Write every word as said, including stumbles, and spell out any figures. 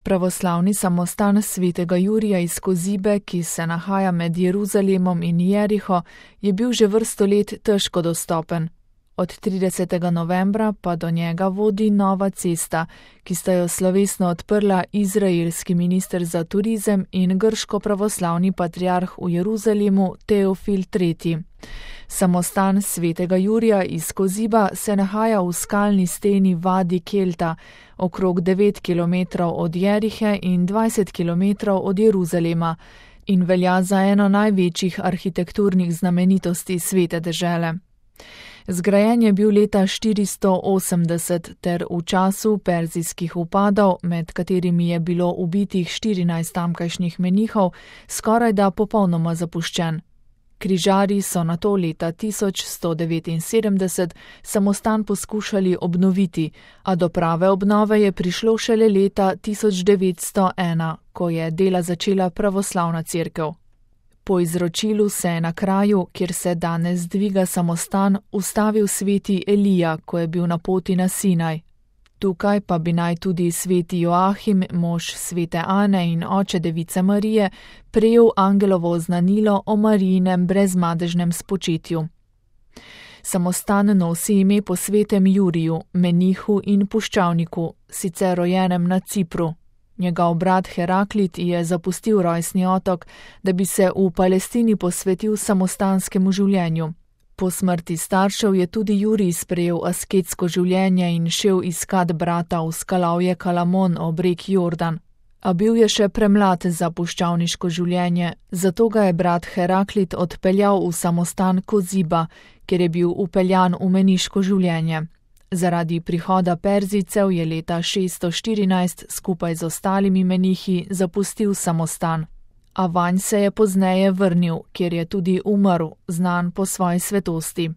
Pravoslavni samostan svetega Jurija iz Kozibe, ki se nahaja med Jeruzalemom in Jeriho, je bil že vrsto let težko dostopen. Od tridesetega novembra pa do njega vodi nova cesta, ki sta jo slovesno odprla izraelski minister za turizem in grško-pravoslavni patriarh v Jeruzalemu Teofil tretji. Samostan svetega Jurija iz Koziba se nahaja v skalni steni Vadi Kelta, okrog devet kilometrov od Jerihe in dvajset kilometrov od Jeruzalema, in velja za eno največjih arhitekturnih znamenitosti svete dežele. Zgrajen je bil leta štiristo osemdeset ter v času perzijskih vpadov, med katerimi je bilo ubitih štirinajst tamkajšnjih menihov, skorajda popolnoma zapuščen. Križarji so nato leta tisoč sto devetinsedemdeset samostan poskušali obnoviti, a do prave obnove je prišlo šele leta tisoč devetsto ena, ko je dela začela pravoslavna cerkev. Po izročilu se je na kraju, kjer se danes dviga samostan, ustavil sveti Elija, ko je bil na poti na Sinaj. Tukaj pa bi naj tudi sveti Joahim, mož svete Ane in oče device Marije, prejel angelovo oznanilo o Marijinem brezmadežnem spočetju. Samostan nosi ime po svetem Juriju, menihu in puščavniku, sicer rojenem na Cipru. Njegov brat Heraklit je zapustil rojstni otok, da bi se v Palestini posvetil samostanskemu življenju. Po smrti staršev je tudi Jurij sprejel asketsko življenje in šel iskat brata v skalavje Kalamon ob reki Jordan. A bil je še premlad za puščavniško življenje, zato ga je brat Heraklit odpeljal v samostan Koziba, kjer je bil upeljan v meniško življenje. Zaradi prihoda Perzijcev je leta šeststo štirinajst skupaj z ostalimi menihi zapustil samostan, a vanj se je pozneje vrnil, kjer je tudi umrl, znan po svoji svetosti.